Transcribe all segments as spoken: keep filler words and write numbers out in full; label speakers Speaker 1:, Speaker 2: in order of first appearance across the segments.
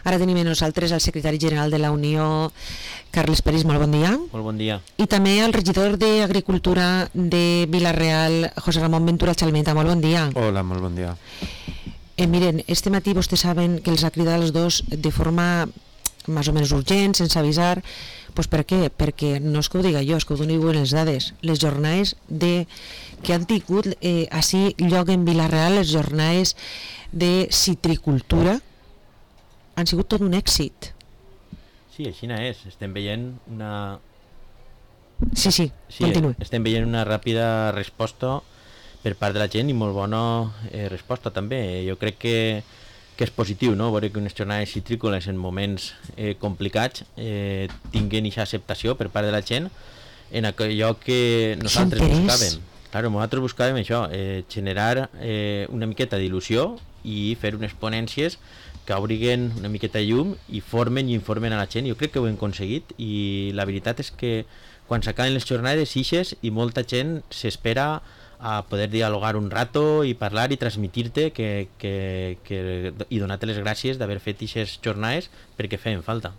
Speaker 1: Ara tenim amb nosaltres el secretari general de la Unió, Carles Peris, molt bon dia.
Speaker 2: Molt bon dia.
Speaker 1: I també el regidor d'Agricultura de Vila-real, José Ramón Ventura Chalmeta, molt bon dia.
Speaker 3: Hola, molt bon dia.
Speaker 1: Eh, miren, este matí vostès saben que els ha cridat els dos de forma més o menys urgent, sense avisar. Pues per què? Perquè no és que ho diga jo, és que ho dono les dades. Les jornades de, que han tingut eh, així lloc en Vila-real, les jornades de citricultura, han sigut tot un èxit.
Speaker 2: Sí, així és. Estem veient una...
Speaker 1: Sí, sí,
Speaker 2: sí
Speaker 1: continuï.
Speaker 2: Estem veient una ràpida resposta per part de la gent i molt bona eh, resposta també. Jo crec que, que és positiu, no?, veure que unes jornades citrícoles en moments eh, complicats eh, tinguin aquesta acceptació per part de la gent en allò que nosaltres buscàvem. Claro, nosaltres buscàvem això, eh, generar eh, una miqueta d'il·lusió i fer unes ponències que obriguen una miqueta de llum i formen i informen a la gent. Jo crec que ho hem aconseguit i la veritat és que quan s'acaben les jornades ixes i molta gent s'espera a poder dialogar un rato i parlar i transmitir-te que, que, que, i donar-te les gràcies d'haver fet aquestes jornades perquè feien falta.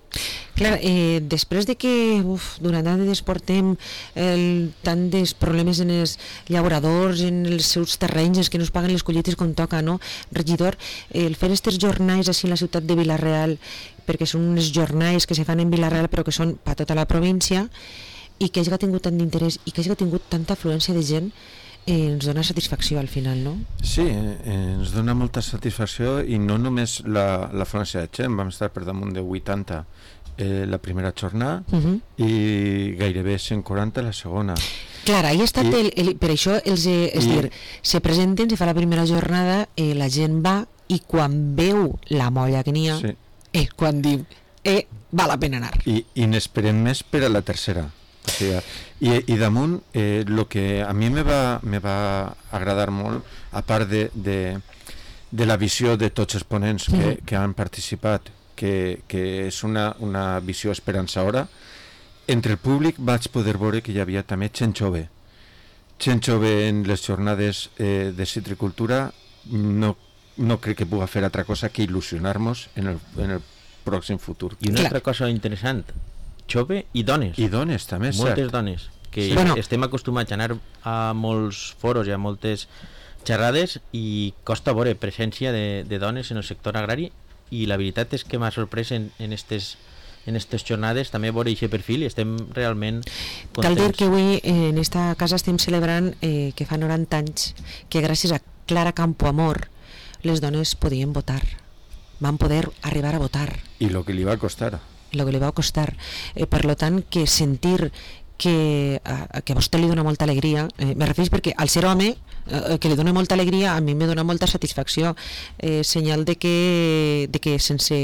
Speaker 1: Clar, eh, després de que uf, durant anys portem el, tant de problemes en els llauradors, en els seus terrenys, que no es paguen les collites com toca, no? Regidor, eh, el fer aquestes jornades així en la ciutat de Vila-real, perquè són unes jornades que se fan en Vila-real però que són per tota la província, i que hagi tingut tant d'interès i que hagi tingut tanta afluència de gent, Eh, ens dona satisfacció al final, no?
Speaker 3: Sí, eh, ens dona molta satisfacció i no només la, la França de gent, vam estar per damunt de vuitanta eh, la primera jornada uh-huh. i gairebé cent quaranta la segona.
Speaker 1: Clar, ahí ha estat I, el, el, per això els, eh, és i, dir, se presenten, se fa la primera jornada, eh, la gent va i quan veu la molla que n'hi ha, sí. eh, quan diu eh, val la pena anar.
Speaker 3: I, i n'esperem més per a la tercera. O sigui, i, i damunt el eh, que a mi me va, me va agradar molt, a part de, de, de la visió de tots els ponents que, mm. que han participat, que, que és una, una visió esperançadora, entre el públic vaig poder veure que hi havia també gent jove. Gent jove en les jornades eh, de citricultura no, no crec que pugui fer altra cosa que il·lusionar-nos en el, en el pròxim futur.
Speaker 2: I una altra cosa interessant, jove i dones.
Speaker 3: I dones també,
Speaker 2: moltes
Speaker 3: cert.
Speaker 2: dones, que
Speaker 1: sí. bueno.
Speaker 2: estem acostumats a anar a molts foros i a moltes xerrades i costa veure presència de, de dones en el sector agrari i la veritat és que m'ha sorprès en, en estes en aquestes jornades també veure aquest perfil i estem realment contents.
Speaker 1: Cal dir que avui en esta casa estem celebrant eh, que fa noranta anys que gràcies a Clara Campoamor les dones podien votar, van poder arribar a votar.
Speaker 3: I el que li va costar.
Speaker 1: el que li va costar, eh, per lo tant que sentir que, a, que a vostè li dona molta alegria, eh, me refereix perquè al ser home eh, que li dona molta alegria a mi me dona molta satisfacció, eh, senyal de que, de que sense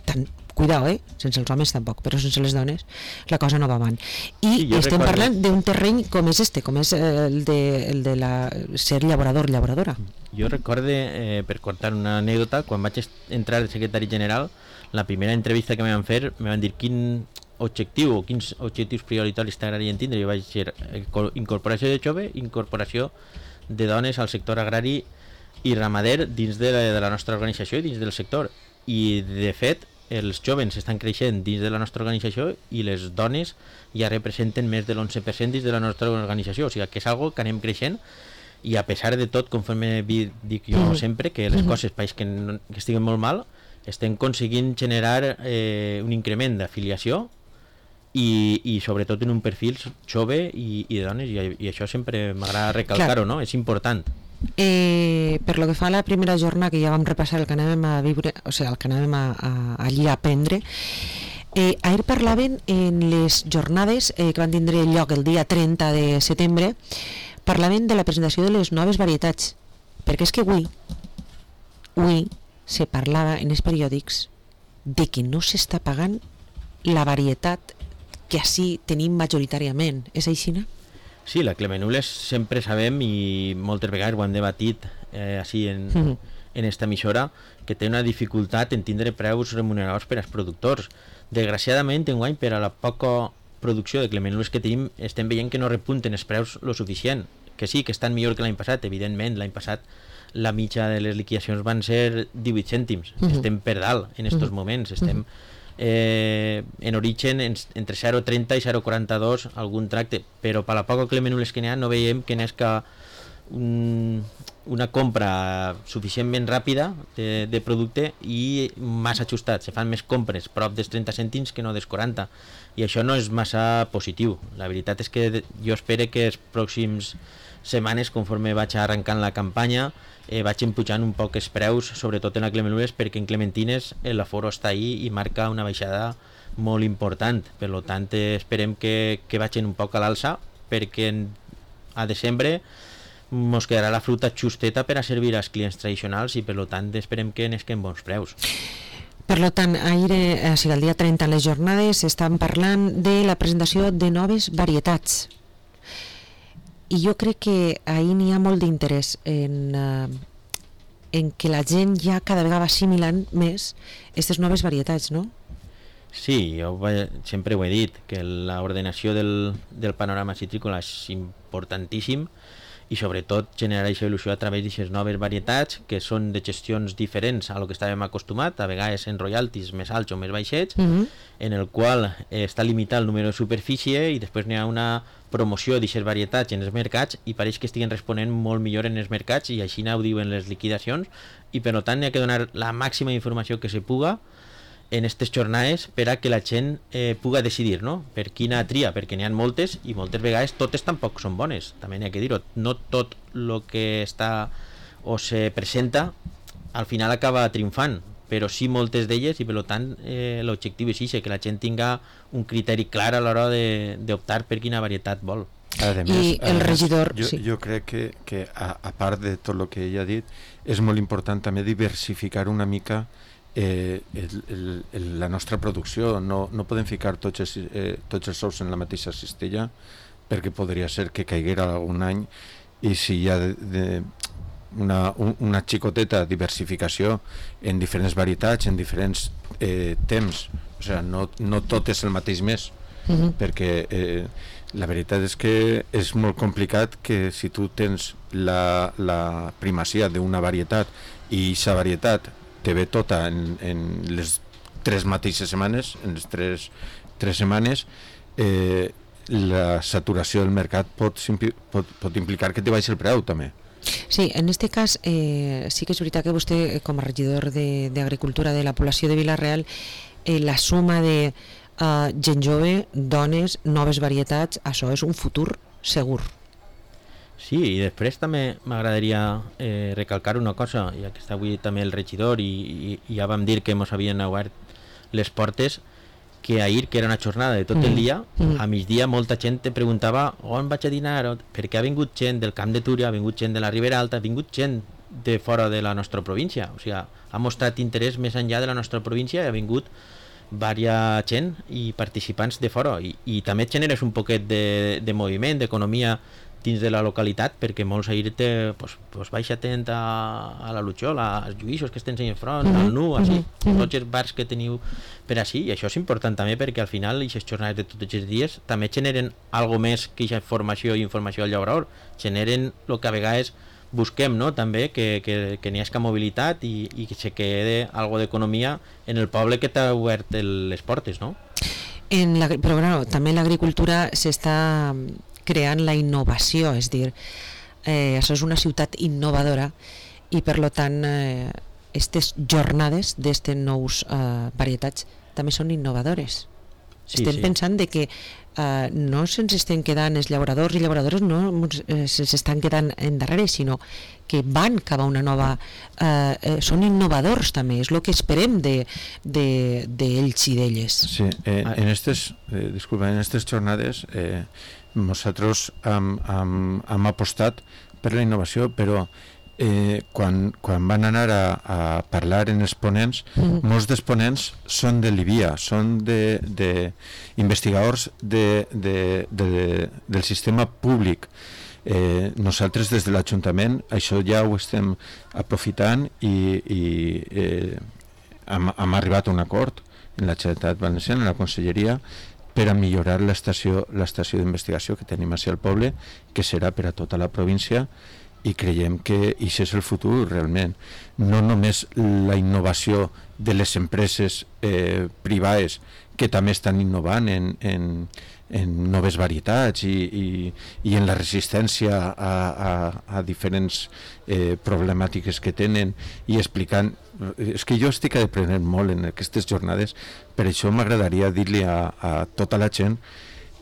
Speaker 1: tant, cuidao, eh? sense els homes tampoc, però sense les dones la cosa no va avant. I sí, estem recordo... parlant d'un terreny com és este, com és el de, el de la, ser llaborador, llaboradora.
Speaker 2: Jo recorde, eh, per contar una anècdota, quan vaig entrar de secretari general, la primera entrevista que me van fer, me van dir quin objectiu o quins objectius prioritaris t'agradaria tindre. Jo vaig dir incorporació de jove, incorporació de dones al sector agrari i ramader dins de la, de la nostra organització i dins del sector. I de fet, els joves estan creixent dins de la nostra organització i les dones ja representen més de l'onze per cent dins de la nostra organització. O sigui que és algo que anem creixent i a pesar de tot, conforme dic jo mm. sempre, que les mm. coses país que, no, que estiguen molt mal, estem aconseguint generar eh, un increment d'afiliació i, i sobretot en un perfil jove i, i de dones i, i això sempre m'agrada recalcar-ho, no? És important.
Speaker 1: Eh, per lo que fa a la primera jornada que ja vam repassar el que anàvem a viure, o sigui, el que anàvem a, a, allí a aprendre, eh, ahir parlaven en les jornades eh, que van tindre lloc el dia trenta de setembre, parlaven de la presentació de les noves varietats, perquè és que avui avui se parlava en els periòdics de que no s'està pagant la varietat que així tenim majoritàriament. És així, no?
Speaker 2: Sí, la Clemenules sempre sabem i moltes vegades ho hem debatit eh, així en, mm-hmm. en esta emissora, que té una dificultat en tindre preus remuneradors per als productors. Desgraciadament, enguany, per a la poca producció de Clemenules que tenim, estem veient que no repunten els preus lo suficient. que sí, que estan millor que l'any passat, evidentment, l'any passat la mitja de les liquidacions van ser divuit cèntims, uh -huh. estem per dalt en estos uh -huh. moments, estem eh, en origen en, entre zero coma trenta i zero coma quaranta-dos algun tracte, però per la poca clemenules que n'hi ha no veiem que n'és que un, una compra suficientment ràpida de, de producte i massa ajustat, se fan més compres prop dels trenta cèntims que no dels quaranta, i això no és massa positiu. La veritat és que jo espero que els pròxims setmanes, conforme vaig arrencant la campanya, eh, vaig empujant un poc els preus, sobretot en la clemenules, perquè en clementines l'aforo està ahí i marca una baixada molt important. Per tant, eh, esperem que, que vagin un poc a l'alça, perquè en, a desembre ens quedarà la fruita justeta per a servir als clients tradicionals i per tant esperem que n'esquem bons preus.
Speaker 1: Per tant, ahir, eh, o sigui, el dia trenta, en les jornades, estan parlant de la presentació de noves varietats. I jo crec que ahir n'hi ha molt d'interès en, eh, en que la gent ja cada vegada va assimilant més aquestes noves varietats, no?
Speaker 2: Sí, jo sempre ho he dit, que l'ordenació del, del panorama citrícola és importantíssim, i sobretot generar aquesta il·lusió a través d'aquestes noves varietats que són de gestions diferents a lo que estàvem acostumat, a vegades en royalties més alts o més baixets, mm-hmm. en el qual eh, està limitat el número de superfície i després n'hi ha una promoció d'aquestes varietats en els mercats i pareix que estiguen responent molt millor en els mercats i així ho diuen les liquidacions, i per tant n'hi ha que donar la màxima informació que se puga en aquestes jornades per a que la gent eh, puga decidir, no? Per quina tria, perquè n'hi ha moltes i moltes vegades totes tampoc són bones, també n'hi ha que dir-ho, no tot el que està o se presenta al final acaba triomfant, però sí moltes d'elles, i per tant eh, l'objectiu és això, que la gent tinga un criteri clar a l'hora d'optar per quina varietat vol.
Speaker 3: Además,
Speaker 1: I el
Speaker 3: además,
Speaker 1: regidor...
Speaker 3: Jo,
Speaker 1: sí.
Speaker 3: jo crec que, que a, a part de tot el que ella ha dit, és molt important també diversificar una mica Eh, el, el, el, la nostra producció. No, no podem ficar tots els, eh, tots els ous en la mateixa cistella, perquè podria ser que caiguera algun any, i si hi ha de, de una, un, una xicoteta diversificació en diferents varietats, en diferents eh, temps, o sigui, no, no tot és el mateix mes, uh-huh. perquè eh, la veritat és que és molt complicat que si tu tens la, la primacia d'una varietat i aquesta varietat te ve tota en, en les tres mateixes setmanes, en les tres, tres setmanes, eh, la saturació del mercat pot, pot, pot implicar que te baixi el preu també.
Speaker 1: Sí, en aquest cas eh, sí que és veritat que vostè, com a regidor d'Agricultura de, de la població de Vila-real, eh, la suma de eh, gent jove, dones, noves varietats, això és un futur segur.
Speaker 2: Sí, i després també m'agradaria eh, recalcar una cosa, ja que està avui també el regidor i, i, i ja vam dir que ens havien obert les portes, que ahir, que era una jornada de tot mm. el dia, mm. a migdia molta gent te preguntava on vaig a dinar, perquè ha vingut gent del Camp de Túria, ha vingut gent de la Ribera Alta, ha vingut gent de fora de la nostra província, o sigui, ha mostrat interès més enllà de la nostra província i ha vingut diversa gent i participants de fora, i, i també generes un poquet de, de moviment, d'economia dins de la localitat, perquè molts ahir te, pues, pues baixa atent a, a la Lutxola, als Lluïssos que estem en front, mm-hmm. al Nu, així, mm-hmm. tots els bars que teniu per així, i això és important també perquè al final aquestes jornades de tots els dies també generen algo més que aquesta formació i informació al llaurador, generen el que a vegades busquem, no? També que, que, que n'hi hagi mobilitat i, i que se quede algo d'economia en el poble que t'ha obert el, les portes, no?
Speaker 1: En la, però bueno, també l'agricultura s'està creant la innovació, és dir, eh, això és una ciutat innovadora i per tant eh, aquestes jornades d'aquestes nous eh, varietats també són innovadores. Sí, estem sí. pensant de que eh, no se'ns estem quedant els llauradors i llauradores no eh, s'estan quedant endarrere, sinó que van cap a una nova eh, eh, són innovadors també, és el que esperem de, de, d'ells i d'elles.
Speaker 3: Sí, eh, en aquestes eh, disculpa, en aquestes jornades eh, nosaltres hem, hem, hem apostat per la innovació, però eh, quan, quan van anar a, a parlar en els ponents, mm-hmm. molts dels ponents són de l'I B I A, són de, de investigadors de, de, de, del sistema públic. Eh, nosaltres des de l'Ajuntament això ja ho estem aprofitant i, i eh, hem, hem arribat a un acord en la Generalitat Valenciana, en la Conselleria, per a millorar l'estació l'estació d'investigació que tenim així al poble, que serà per a tota la província, i creiem que això és el futur realment. No només la innovació de les empreses eh, privades que també estan innovant en, en, en noves varietats i, i, i en la resistència a, a, a diferents eh, problemàtiques que tenen, i explicant. És que jo estic aprenent molt en aquestes jornades, per això m'agradaria dir-li a, a tota la gent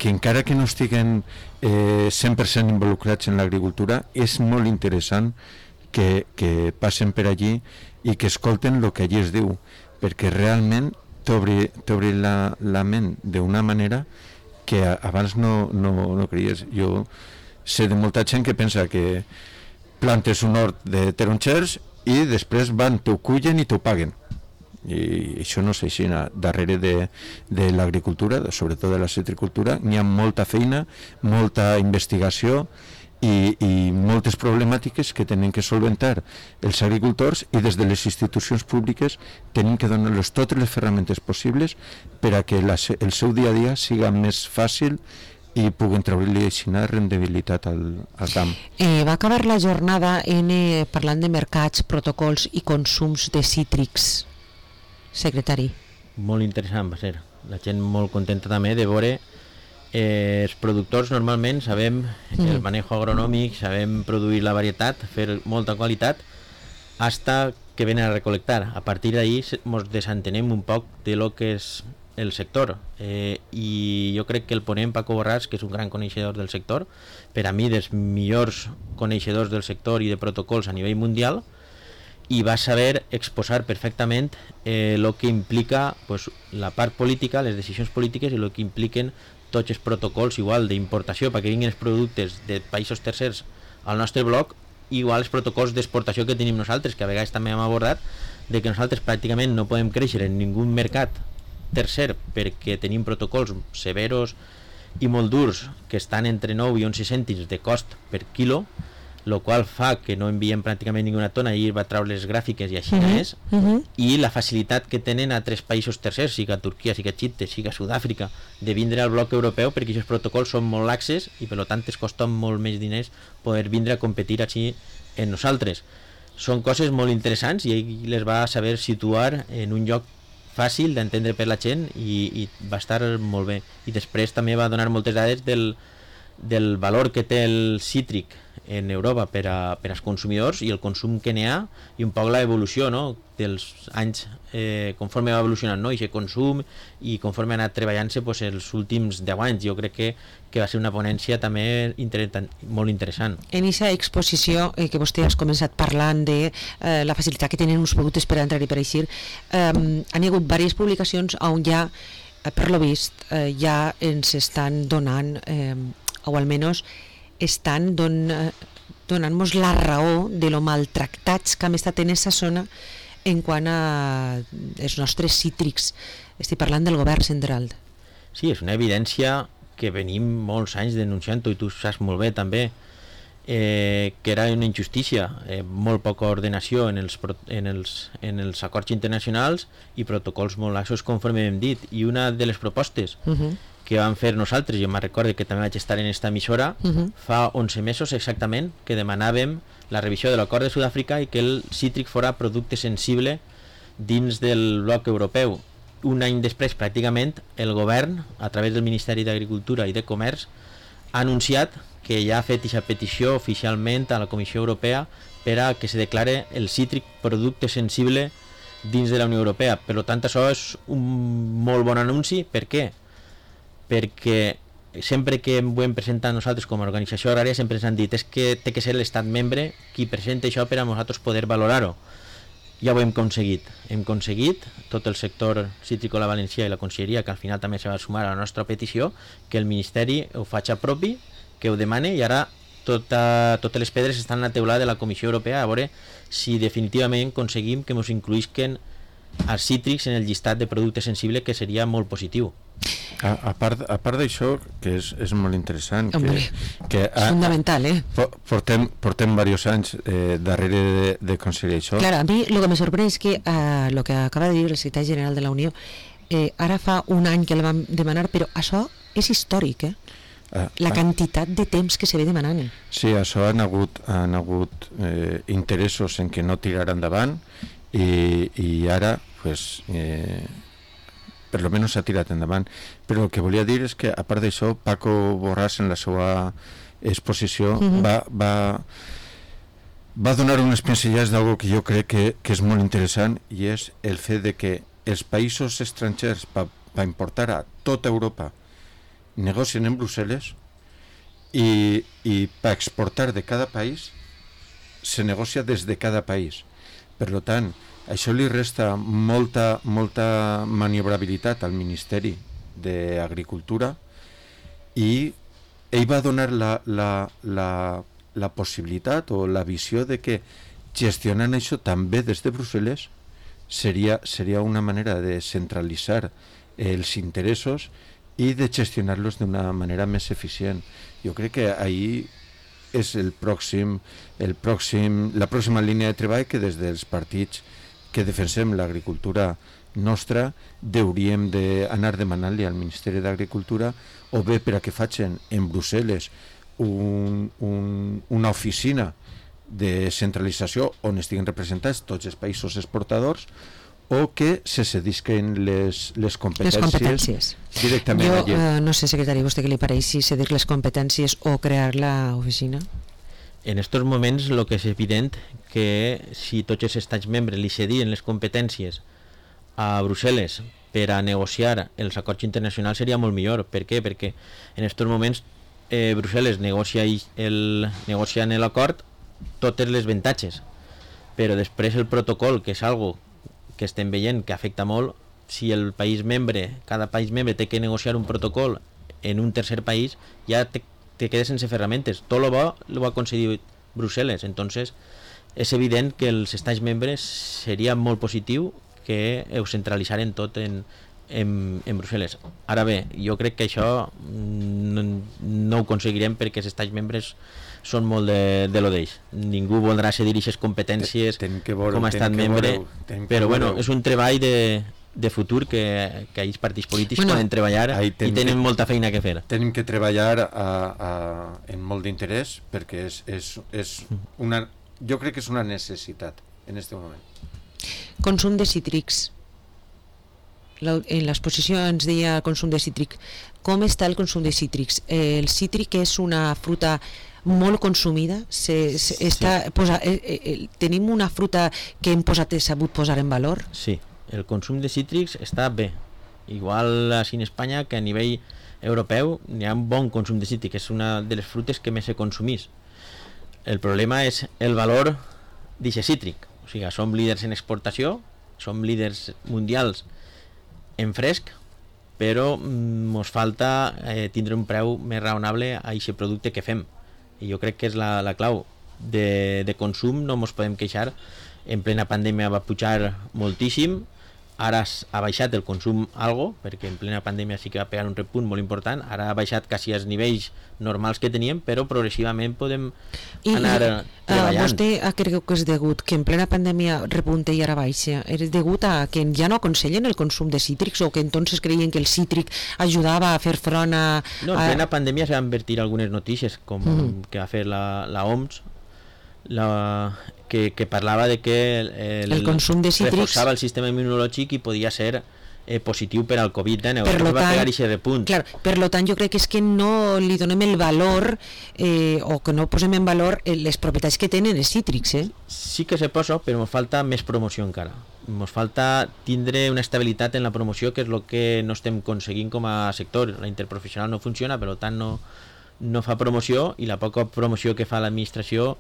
Speaker 3: que encara que no estiguen eh, cent per cent involucrats en l'agricultura, és molt interessant que, que passen per allí i que escolten el que allí es diu, perquè realment t'obri, t'obri la, la ment d'una manera que abans no, no, no creies. Jo sé de molta gent que pensa que plantes un hort de taronxers i després van, t'ho cullen i t'ho paguen. I això no és així. Darrere de, de l'agricultura, sobretot de la citricultura, n'hi ha molta feina, molta investigació i, i moltes problemàtiques que tenen que solventar els agricultors, i des de les institucions públiques tenim que donar-los totes les ferramentes possibles per a que la, el seu dia a dia siga més fàcil i puguen treure-li així rendibilitat al, al camp.
Speaker 1: Eh, va acabar la jornada en, eh, parlant de mercats, protocols i consums de cítrics. Secretari.
Speaker 2: Molt interessant va ser. La gent molt contenta també de veure eh, els productors normalment sabem mm. el manejo agronòmic, sabem produir la varietat, fer molta qualitat, hasta que venen a recolectar. A partir d'ahí ens desentenem un poc de lo que és el sector, eh, i jo crec que el ponent Paco Borràs, que és un gran coneixedor del sector, per a mi dels millors coneixedors del sector i de protocols a nivell mundial, i va saber exposar perfectament eh, lo que implica pues, la part política, les decisions polítiques, i lo que impliquen tots els protocols igual d'importació perquè vinguin els productes de països tercers al nostre bloc, igual els protocols d'exportació que tenim nosaltres, que a vegades també hem abordat, de que nosaltres pràcticament no podem créixer en ningú mercat tercer perquè tenim protocols severos i molt durs que estan entre nou i onze cèntims de cost per quilo, lo qual fa que no enviem pràcticament ninguna tona, i va treure les gràfiques i així uh -huh. és, uh -huh. i la facilitat que tenen a tres països tercers, siga Turquia, siga Xipre, siga Sud-àfrica, de vindre al bloc europeu, perquè aquests protocols són molt laxes i per tant es costa molt més diners poder vindre a competir així en nosaltres. Són coses molt interessants i ell les va saber situar en un lloc fàcil d'entendre per la gent, i, i va estar molt bé. I després també va donar moltes dades del, del valor que té el cítric en Europa per, a, per als consumidors i el consum que n'hi ha, i un poc l'evolució, no?, dels anys eh, conforme va evolucionant, no?, i aquest consum, i conforme ha anat treballant-se pues, els últims deu anys. Jo crec que, que va ser una ponència també inter molt interessant.
Speaker 1: En aquesta exposició eh, que vostè has començat parlant de eh, la facilitat que tenen uns productes per entrar i per eixir, eh, han hi hagut diverses publicacions on ja, eh, per lo vist, eh, ja ens estan donant, eh, o almenys estan don, donant-nos la raó de lo maltractats que hem estat en aquesta zona en quant a els nostres cítrics. Estic parlant del govern central.
Speaker 2: Sí, és una evidència que venim molts anys denunciant-ho, i tu saps molt bé també, eh, que era una injustícia, eh, molt poca ordenació en els, en, els, en els acords internacionals i protocols molt laxos, conforme hem dit. I una de les propostes uh-huh. que vam fer nosaltres, jo me'n recordo que també vaig estar en esta emissora, uh-huh. fa onze mesos exactament, que demanàvem la revisió de l'acord de Sud-àfrica i que el cítric fora producte sensible dins del bloc europeu. Un any després, pràcticament, el govern, a través del Ministeri d'Agricultura i de Comerç, ha anunciat que ja ha fet aquesta petició oficialment a la Comissió Europea per a que se declare el cítric producte sensible dins de la Unió Europea. Per tant, això és un molt bon anunci. Per què? Perquè sempre que ho hem presentat nosaltres com a organització agrària sempre ens han dit és que té que ser l'estat membre qui presenta això per a nosaltres poder valorar-ho. Ja ho hem aconseguit. Hem aconseguit, tot el sector cítricola valencià i la Conselleria, que al final també se va sumar a la nostra petició, que el Ministeri ho faci propi, que ho demane, i ara tota, totes les pedres estan a la teulada de la Comissió Europea a veure si definitivament aconseguim que ens incluïsquen els cítrics en el llistat de productes sensibles, que seria molt positiu.
Speaker 3: A, a part, a part d'això, que és, és molt interessant, que, que
Speaker 1: és fundamental, eh?
Speaker 3: Portem, portem diversos anys eh, darrere de, de aconseguir això.
Speaker 1: Clar, a mi el que me sorprèn és que el eh, que acaba de dir el secretari general de la Unió eh, ara fa un any que el vam demanar, però això és històric, eh?
Speaker 3: Ah,
Speaker 1: la
Speaker 3: ah.
Speaker 1: quantitat de temps que se ve demanant.
Speaker 3: Sí, això han hagut, han hagut eh, interessos en que no tirar endavant i, i ara pues, eh, per lo menos s'ha tirat endavant. Però el que volia dir és que a part d'això Paco Borràs en la seva exposició uh-huh. va, va, va donar unes pincellades d'algo que jo crec que, que és molt interessant, i és el fet de que els països estrangers per pa importar a tota Europa negocien en Brussel·les i, i per exportar de cada país se negocia des de cada país. Per tant, això li resta molta, molta maniobrabilitat al Ministeri d'Agricultura, i ell va donar la, la, la, la possibilitat o la visió de que gestionant això també des de Brussel·les seria, seria una manera de centralitzar els interessos i de gestionar-los d'una manera més eficient. Jo crec que ahir és el pròxim, el pròxim, la pròxima línia de treball que des dels partits que defensem l'agricultura nostra hauríem d'anar demanant-li al Ministeri d'Agricultura, o bé per a que facin en Brussel·les un, un, una oficina de centralització on estiguin representats tots els països exportadors, o que se cedisquen les, les competències,
Speaker 1: les competències.
Speaker 3: directament
Speaker 1: jo,
Speaker 3: allí.
Speaker 1: Eh, no sé, secretari, vostè què li pareix, si cedir les competències o crear l'oficina?
Speaker 2: En estos moments el que és evident que si tots els estats membres li cedien les competències a Brussel·les per a negociar els acords internacionals seria molt millor. Per què? Perquè en estos moments eh, Brussel·les negocia el, negocia en l'acord totes les avantatges, però després el protocol, que és algo que estem veient que afecta molt, si el país membre, cada país membre té que negociar un protocol en un tercer país, ja te, te quedes sense ferramentes. Tot lo bo lo va concedir Brussel·les. Entonces és evident que els estats membres seria molt positiu que ho centralitzaren tot en, en, en Brussel·les. Ara bé, jo crec que això no, no ho aconseguirem, perquè els estats membres són molt de, de lo d'ells. Ningú voldrà cedir aquestes competències veure, com a estat membre, veure, però bueno, és un treball de, de futur que, que els partits polítics bueno, poden treballar i tenen que, molta feina que fer.
Speaker 3: Tenim que treballar a, a, en molt d'interès, perquè és, és, és una, jo crec que és una necessitat en aquest moment.
Speaker 1: Consum de cítrics. En l'exposició ens deia consum de cítric. Com està el consum de cítrics? El cítric és una fruta molt consumida, se, se, està, sí. posa, eh, eh, tenim una fruta que hem posat, sabut posar en valor?
Speaker 2: Sí, el consum de cítrics està bé, igual així en Espanya que a nivell europeu hi ha un bon consum de cítric, és una de les frutes que més se consumís. El problema és el valor d'aquest cítric, o sigui, som líders en exportació, som líders mundials en fresc, però ens falta eh, tindre un preu més raonable a aquest producte que fem. I jo crec que és la, la clau de, de consum. No ens podem queixar. En plena pandèmia va pujar moltíssim, ara ha baixat el consum algo, perquè en plena pandèmia sí que va pegar un repunt molt important, ara ha baixat quasi als nivells normals que teníem, però progressivament podem I, anar i, treballant.
Speaker 1: Uh, vostè creu que és degut que en plena pandèmia repunte i ara baixa? És degut a que ja no aconsellen el consum de cítrics, o que entonces creien que el cítric ajudava a fer front a...
Speaker 2: No, en plena a... pandèmia se van vertir algunes notícies, com mm. que va fer la, la O M S, la, que, que parlava de que el,
Speaker 1: el consum de cítrics
Speaker 2: reforçava el sistema immunològic i podia ser eh, positiu per al covid dinou. Per lo tant,
Speaker 1: clar, per lo tant jo crec que és que no li donem el valor eh, o que no posem en valor les propietats que tenen els cítrics. Eh?
Speaker 2: Sí que se posa, però ens falta més promoció encara. Ens falta tindre una estabilitat en la promoció, que és el que no estem aconseguint com a sector. La interprofessional no funciona, per tant no no fa promoció, i la poca promoció que fa l'administració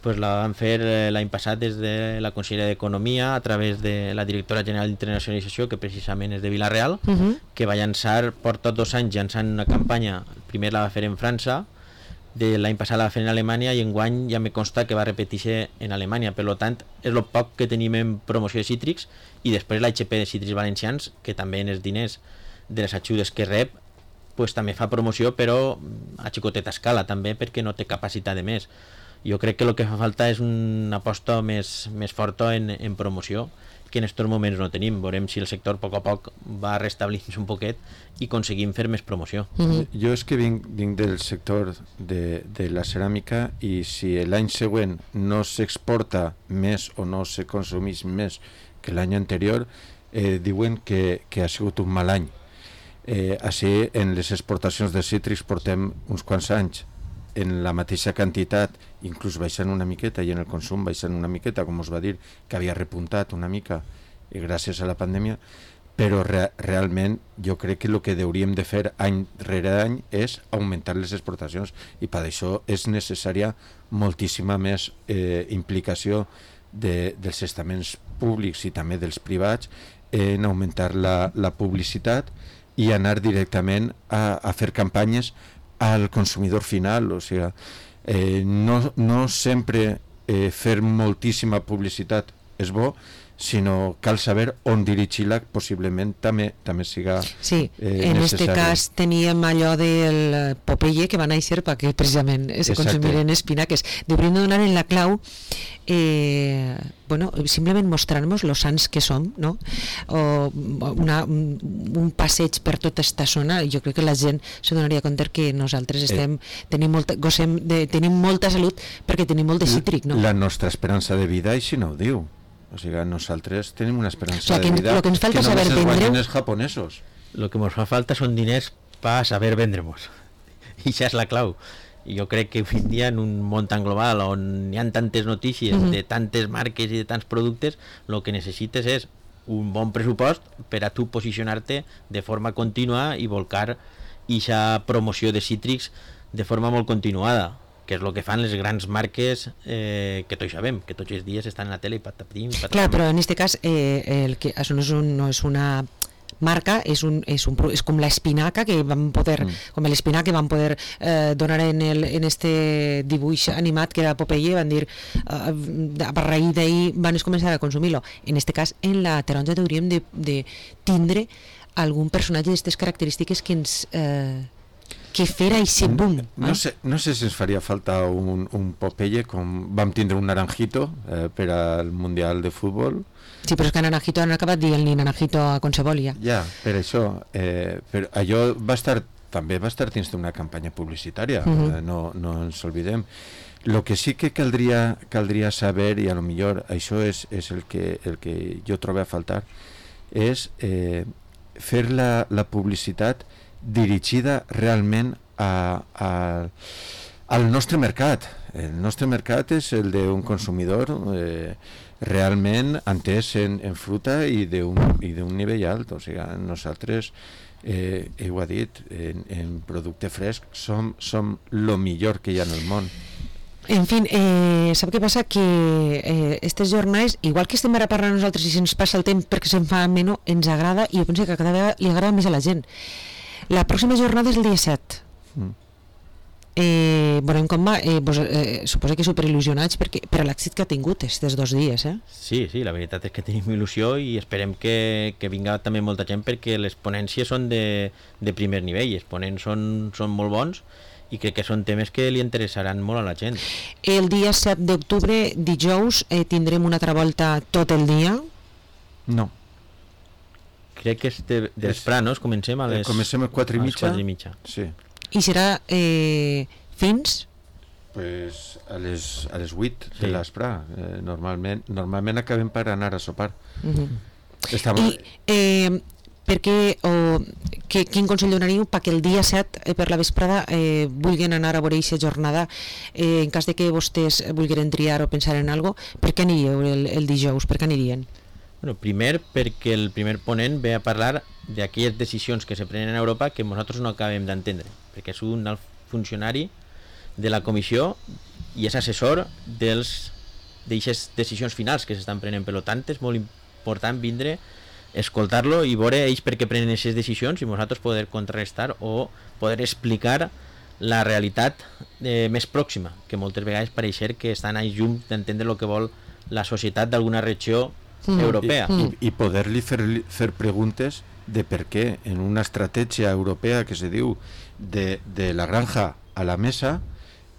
Speaker 2: pues la van fer l'any passat des de la Conselleria d'Economia a través de la Directora General d'Internacionalització, que precisament és de Vila-real, uh-huh. que va llançar, porta dos anys llançant una campanya. Primer la va fer en França, de l'any passat la va fer en Alemanya, i enguany ja me consta que va repetir-se en Alemanya. Per tant, és el poc que tenim en promoció de cítrics, i després l'H P de Cítrics Valencians, que també en els diners de les ajudes que rep pues també fa promoció, però a xicoteta escala també, perquè no té capacitat de més. Jo crec que el que fa falta és una aposta més, més forta en, en promoció, que en estos moments no tenim. Veurem si el sector a poc a poc va restablint-se un poquet i aconseguim fer més promoció.
Speaker 3: Mm-hmm. Jo és que vinc, vinc del sector de, de la ceràmica i si l'any següent no s'exporta més o no se consumís més que l'any anterior, eh, diuen que, que ha sigut un mal any. Eh, així, en les exportacions de cítrics portem uns quants anys en la mateixa quantitat, inclús baixant una miqueta, i en el consum baixant una miqueta, com us va dir, que havia repuntat una mica i gràcies a la pandèmia, però re realment jo crec que el que hauríem de fer any rere any és augmentar les exportacions, i per això és necessària moltíssima més eh, implicació de, dels estaments públics i també dels privats en augmentar la, la publicitat i anar directament a, a fer campanyes al consumidor final. O sigui, eh, no, no sempre eh, fer moltíssima publicitat és bo, sinó cal saber on dirigir-la, possiblement també també siga
Speaker 1: sí,
Speaker 3: eh,
Speaker 1: en
Speaker 3: necessari.
Speaker 1: este cas teníem allò del Popeye que va néixer perquè precisament se consumiren espinaques. Hauríem de donar en la clau eh, bueno, simplement mostrant-nos los sants que som, no? O una, un, un passeig per tota esta zona. Jo crec que la gent se donaria compte que nosaltres estem, eh. tenim, molta, gosem de, tenim molta salut perquè tenim molt de cítric, no?
Speaker 3: La nostra esperança de vida així no ho diu. O sigui, nosaltres tenim una esperança
Speaker 1: o sea,
Speaker 3: de vida
Speaker 1: que, que,
Speaker 3: que només
Speaker 1: saber
Speaker 3: els guanyen
Speaker 1: vendre...
Speaker 3: els japonesos.
Speaker 2: Lo que ens fa falta són diners per saber vendre'ns. I això és la clau. I jo crec que avui en dia en un món tan global on hi ha tantes notícies mm-hmm. de tantes marques i de tants productes, el que necessites és un bon pressupost per a tu posicionar-te de forma contínua i volcar ixa promoció de cítrics de forma molt continuada, que és el que fan les grans marques eh, que tots sabem, que tots els dies estan a la tele i patatim, patatim.
Speaker 1: Clar, però en este cas eh, el que, això no és, un, no és una marca, és, un, és, un, és com l'espinaca que van poder, mm. com l'espinaca que van poder eh, donar en, el, en este dibuix animat que era Popeye, van dir eh, a raïs d'ahir van començar a consumir-lo. En este cas, en la taronja hauríem de, de tindre algun personatge d'aquestes característiques que ens... Eh, que fer aquest boom. Eh?
Speaker 3: No sé, no sé si ens faria falta un, un Popeye com vam tindre un Naranjito eh, per al Mundial de Futbol.
Speaker 1: Sí, però és que Naranjito han acabat dient ni Naranjito a Consebolia.
Speaker 3: Ja, per això. Eh, però allò va estar, també va estar dins d'una campanya publicitària, uh-huh. eh, no, no ens oblidem. Lo que sí que caldria, caldria saber, i a lo millor això és, és el, que, el que jo trobo a faltar, és eh, fer la, la publicitat dirigida realment a, a, al nostre mercat. El nostre mercat és el d'un consumidor eh, realment entès en, en fruta i d'un nivell alt. O sigui, nosaltres, eh, ho ha dit, en, en producte fresc som, som lo millor que hi ha en el món.
Speaker 1: En fi, eh, sap què passa? Que eh, aquestes jornades, igual que estem ara parlant nosaltres i se'ns passa el temps perquè se'n fa menys, ens agrada, i jo penso que cada vegada li agrada més a la gent. La pròxima jornada és el dia set. Mm. Eh, veurem com va. Eh, pues, eh, suposo que superil·lusionats perquè, per a l'èxit que ha tingut aquests dos dies. Eh?
Speaker 2: Sí, sí, la veritat és que tenim il·lusió i esperem que, que vinga també molta gent perquè les ponències són de, de primer nivell. Els ponents són, són molt bons i crec que són temes que li interessaran molt a la gent.
Speaker 1: El dia set d'octubre, dijous, eh, tindrem una altra volta tot el dia?
Speaker 3: No.
Speaker 2: Crec que és de, de vesprà, no? Comencem a les...
Speaker 3: Comencem a les quatre i mitja.
Speaker 2: quatre i mitja.
Speaker 3: Sí.
Speaker 1: I serà eh, fins?
Speaker 3: Pues a les, a les vuit sí. de l'esprà. Eh, normalment, normalment acabem per anar a sopar. Uh-huh. Estava...
Speaker 1: I eh, per què, o que, quin consell donaríeu perquè el dia set, eh, per la vesprada, eh, vulguin anar a veure aquesta jornada, eh, en cas de que vostès vulguin triar o pensar en algo, per què aniríeu el, el dijous? Per què anirien?
Speaker 2: Bueno, primer perquè el primer ponent ve a parlar d'aquelles decisions que se prenen a Europa que nosaltres no acabem d'entendre, perquè és un alt funcionari de la comissió i és assessor dels d'aquestes decisions finals que s'estan prenent. Per tant, és molt important vindre, escoltar-lo i veure ells per què prenen aquestes decisions i nosaltres poder contrarrestar o poder explicar la realitat eh, més pròxima, que moltes vegades pareixer que estan a llum d'entendre el que vol la societat d'alguna regió mm. europea.
Speaker 3: I, i, i poder-li fer, fer preguntes de per què en una estratègia europea que se diu de, de la granja a la mesa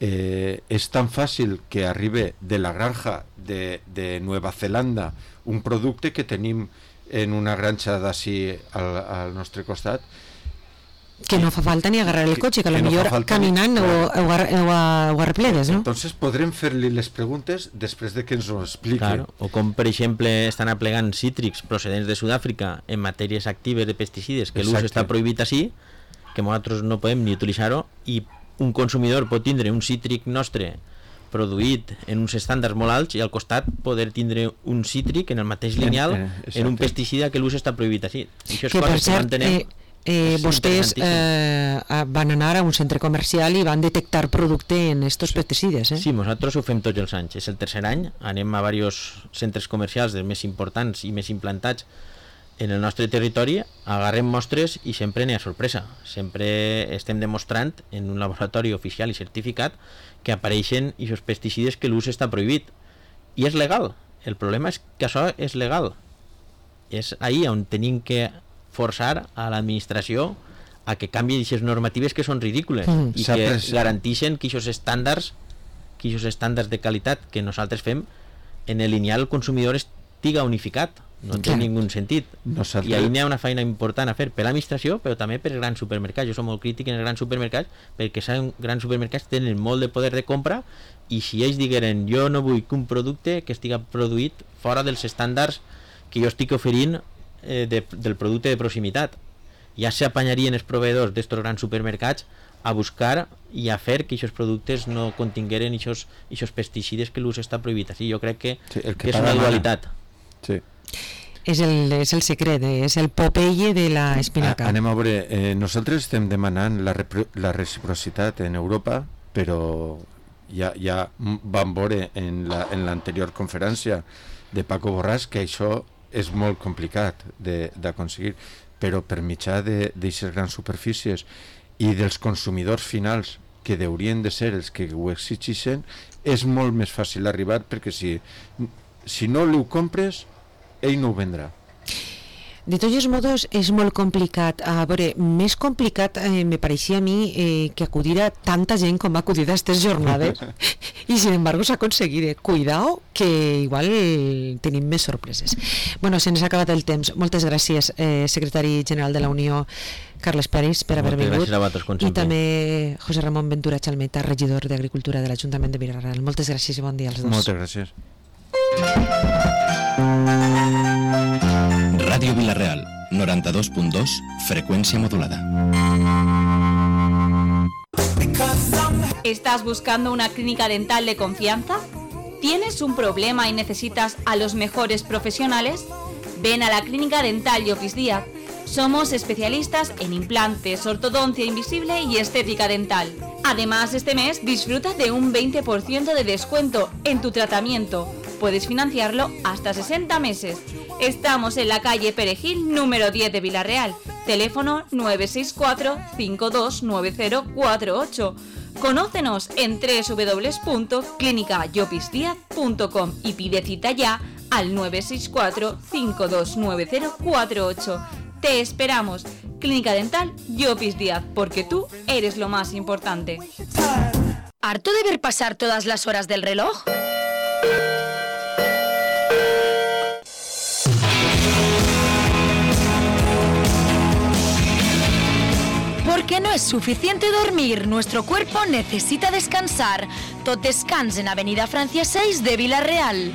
Speaker 3: eh, és tan fàcil que arribe de la granja de, de Nueva Zelanda un producte que tenim en una granja d'ací al, al nostre costat,
Speaker 1: que no fa falta ni agarrar el cotxe, que, que potser no caminant o, o, o, o arreplegues, no?
Speaker 3: Entonces podrem fer-li les preguntes després de que ens ho expliqui.
Speaker 2: Claro. O com, per exemple, estan aplegant cítrics procedents de Sud-àfrica en matèries actives de pesticides, que l'ús està prohibit així, que nosaltres no podem ni utilitzar-ho, i un consumidor pot tindre un cítric nostre produït en uns estàndards molt alts i al costat poder tindre un cítric en el mateix lineal en, en un pesticida que l'ús està prohibit així. I això és
Speaker 1: que per
Speaker 2: cert,
Speaker 1: cert,
Speaker 2: que
Speaker 1: eh, eh, vostès eh, van anar a un centre comercial i van detectar producte en estos sí. pesticides, eh?
Speaker 2: Sí, nosaltres ho fem tots els anys, és el tercer any, anem a diversos centres comercials dels més importants i més implantats en el nostre territori, agarrem mostres i sempre n'hi ha sorpresa. Sempre estem demostrant en un laboratori oficial i certificat que apareixen aquests pesticides que l'ús està prohibit. I és legal. El problema és que això és legal. És ahí on tenim que forçar a l'administració a que canvi aquestes normatives que són ridícules mm, i que garanteixen que aquests estàndards, que aquests estàndards de qualitat que nosaltres fem en el lineal el consumidor estiga unificat. No té ningú sentit.
Speaker 3: Nosaltres...
Speaker 2: I ahí n'hi ha una feina important a fer per l'administració, però també per grans supermercats. Jo som molt crític en els grans supermercats perquè els grans supermercats tenen molt de poder de compra i si ells digueren jo no vull que un producte que estiga produït fora dels estàndards que jo estic oferint eh, de, del producte de proximitat, ja s'apanyarien els proveïdors d'estos grans supermercats a buscar i a fer que aquests productes no contingueren aquests pesticides que l'ús està prohibit. Així jo crec que,
Speaker 3: sí, que,
Speaker 2: que és una dualitat.
Speaker 3: Sí.
Speaker 1: És el, és el secret, és el Popeye de la espinaca.
Speaker 3: Anem a veure, eh, nosaltres estem demanant la, la reciprocitat en Europa, però ja, ja vam veure en l'anterior la, conferència de Paco Borràs que això és molt complicat d'aconseguir, però per mitjà d'aquestes grans superfícies i dels consumidors finals que haurien de ser els que ho exigeixen, és molt més fàcil arribar, perquè si, si no ho compres ell no ho vendrà.
Speaker 1: De tots modos és molt complicat. A veure, més complicat eh, me pareixia a mi eh, que acudir a tanta gent com ha acudit a aquestes jornades i sin embargo s'ha aconseguit. Cuidao que igual tenim més sorpreses. Bueno, se'ns ha acabat el temps. Moltes gràcies, eh, secretari general de la Unió Carles Peris, per haver vingut, i també José Ramon Ventura Chalmeta, regidor d'Agricultura de l'Ajuntament de Vila-real. Moltes gràcies i bon dia als dos.
Speaker 3: Moltes gràcies.
Speaker 4: Ràdio Vila-real, noranta-dos punt dos, frecuencia modulada.
Speaker 5: ¿Estás buscando una clínica dental de confianza? ¿Tienes un problema y necesitas a los mejores profesionales? Ven a la Clínica Dental Llopis Díaz. Somos especialistas en implantes, ortodoncia invisible y estética dental. Además, este mes disfruta de un veinte por ciento de descuento en tu tratamiento. Puedes financiarlo hasta sesenta meses. Estamos en la calle Perejil, número diez de Vila-real. Teléfono nueve seis cuatro, cinco dos nueve cero cuatro ocho. Conócenos en doble u doble u doble u punto clínica llopis díaz punto com y pide cita ya al nueve seis cuatro, cinco dos nueve cero cuatro ocho. Te esperamos. Clínica Dental Llopis Díaz, porque tú eres lo más importante.
Speaker 6: ¿Harto de ver pasar todas las horas del reloj? Porque no es suficiente dormir, nuestro cuerpo necesita descansar. Tot descans en Avenida Francia seis de Vila-real.